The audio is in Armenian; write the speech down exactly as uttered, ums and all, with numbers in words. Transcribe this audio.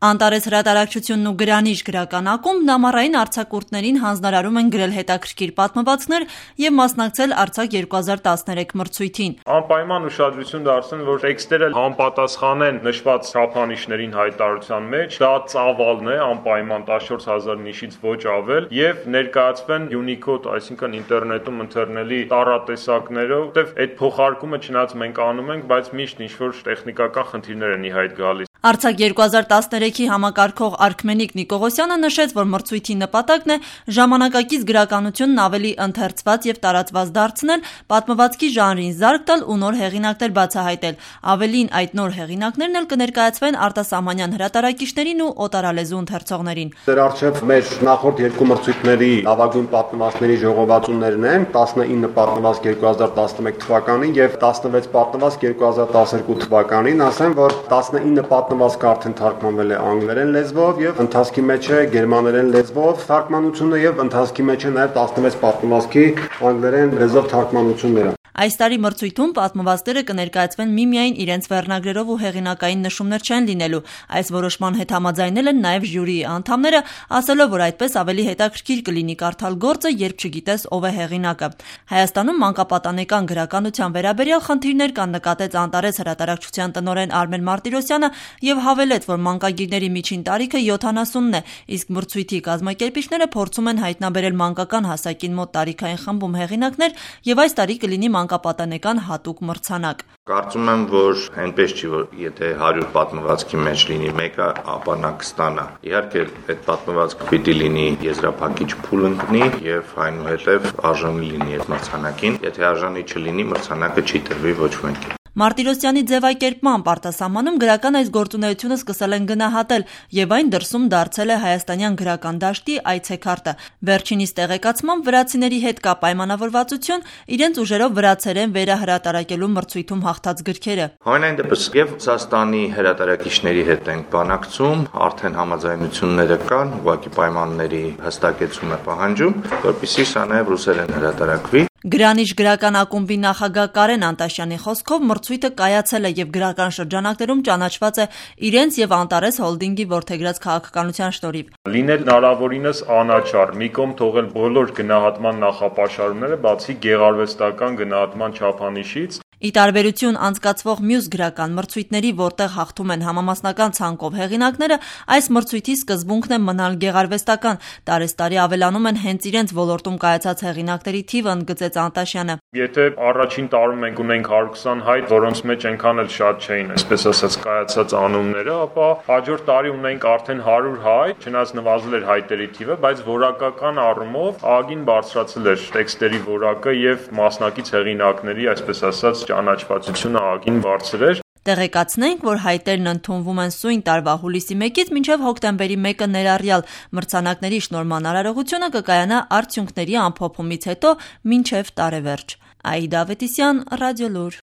Անտարես հրատարակչությունն ու Գրանիշ գրական ակումբն ամառային արձակուրդներին հանձնարարում են գրել հետաքրքիր պատմվածքներ և մասնակցել Արձակ երկու հազար տասներեք մրցույթին։ Անպայման ուշադրություն դարձնել, որ տեքստերը համապատասխանեն նշված չափանիշներին հայտարարության մեջ, դա ծավալն է, անպայման տասնչորս հազար նիշից ոչ ավել, և ներկայացվեն Unicode, այսինքն ինտերնետում ընթերնելի տառատեսակներով, որտեվ այդ փոխարկումը չնայած մենք անում ենք, բայց միշտ ինչ-որ տեխնիկական խնդիրներ են ի հայտ գալիս։ Արձակ երկու հազար տասներեքի համակարգող Արքմենիկ Նիկողոսյանը նշեց, որ մրցույթի նպատակն է ժամանակակից գրականությունն ավելի ընթերցված և տարածված դարձնել, պատմվածքի ժանրին զարկ տալ ու նոր հեղինակներ բացահայտել։ Ավելին, այդ նոր հեղինակներն էլ կներկայացվեն արտասահմանյան հրատարակիչներին ու օտարալեզու ընթերցողներին։ Ձեր առջև մեր նախորդ երկու մրցույթների լավագույն պատմվածքների ժողովածուներն են՝ տասնինը պատմվածք երկու հազար տասնմեկ թվականին և տասնվեց պատմվածք երկու հազար տասներկու թվականին, ասեմ, որ տասնինը պատմվածքը արդեն թարգմանվել է անգլերեն լեզվով և ընթացքի մեջ է գերմաներեն լեզվով թարգմանությունը և ընթացքի մեջ է նաև տասնվեց պատմվածքի անգլերեն լեզվով թարգմանությունները։ Այս տարի մրցույթում պատմվածքները կներկայացվեն միմիայն իրենց վերնագրերով ու հեղինակային նշումներ չեն լինելու։ Այս որոշման հետ համաձայնել են նաև ժյուրիի անդամները, ասելով, որ այդպես ավելի հետաքրքիր կլինի կարդալ գործը, երբ չգիտես ով է հեղինակը։ Հայաստանում մանկապատանեկան գրականության վերաբերյալ խնդիրներ կան, նկատեց Անտարես հրատարակչության տնօրեն Արմեն Մարտիրոսյանը և հավելեց, որ մանկագիրների միջին տարիքը յոթանասունն է, իսկ մրցույթի կազմակերպիչները փորձում են հայտնաբերել մանկական հասակին մոտ տարիքային խմբում հեղինակներ և այս տարի կլինի մանկապատանեկան հատուկ մրցանակ։ Կարծում եմ, որ այնպես չի, որ եթե հարյուր պատմվածքի մեջ լինի մեկը, ապա նա կստանա։ Իհարկե, այդ պատմվածքը պիտի լինի եզրափակիչ փուլ ընկնի և այնուհետև արժանի լինի այդ մրցանակին։ Եթե արժանի չլինի, մրցանակը չի տրվի ոչ մեկին։ Մարտիրոսյանի ձևակերպմամբ արտասահմանում գրական այս գործունեությունը սկսել են գնահատել և այն դրսում դարձել է հայաստանյան գրական դաշտի այցեքարտը։ Վերջինիս տեղեկացմամբ վրացիների հետ կա պայմանավորվածություն իրենց ուժերով վրացերեն վերահրատարակելու մրցույթում հաղթած գրքերը։ Համենայն դեպս և Ռուսաստանի հրատարակիչների հետ ենք բանակցում, արդեն համաձայնությունները կան, ուղղակի պայմանների հստակեցում է պահանջում, որպեսզի սա նաև ռուսերեն հրատարակվի։ Գրանիշ գրական ակումբի նախագահ Կարեն Անտաշյանի խոսքով մրցույթը կայացել է և գրական շրջանակներում ճանաչված է իրենց և Անտարես հոլդինգի որդեգրած քաղաքականության շնորհիվ։ Լինել հնարավորինս անաչառ, մի կողմ թողել բոլոր գնահատման նախապաշարումները, բացի գեղարվեստական գնահատման չափանիշից։ Ի տարբերություն անցկացվող մյուս գրական մրցույթների, որտեղ հաղթում են համամասնական ցանկով հեղինակները, այս մրցույթի սկզբունքն է մնալ գեղարվեստական։ Տարեցտարի ավելանում են հենց իրենց ոլորտում կայացած հեղինակների թիվը, ընդգծեց Անտաշյանը։ Եթե առաջին տարում մենք ունենք հարյուր քսան հայտ, որոնց մեջ այնքան էլ շատ չէին, այսպես ասած, կայացած անունները, ապա հաջորդ տարի ունենք արդեն հարյուր հայտ, չնայած նվազել էր հայտերի թիվը, բայց որակական առումով ահագին բարձրացել էր տեքստերի որակը և մասնակից հեղինակների, այսպես ասած, ճանաչվածությունը ահագին բարձր էր։ Տեղեկացնենք, որ հայտերն ընդունվում են սույն տարվա հուլիսի մեկից մինչև հոկտեմբերի մեկը ներառյալ։ Մրցանակների շնորհման արարողությունը կկայանա արդյունքների ամփոփումից հետո մինչև տարեվերջ։ Աիդա Ավետիսյան, Ռադիոլուր։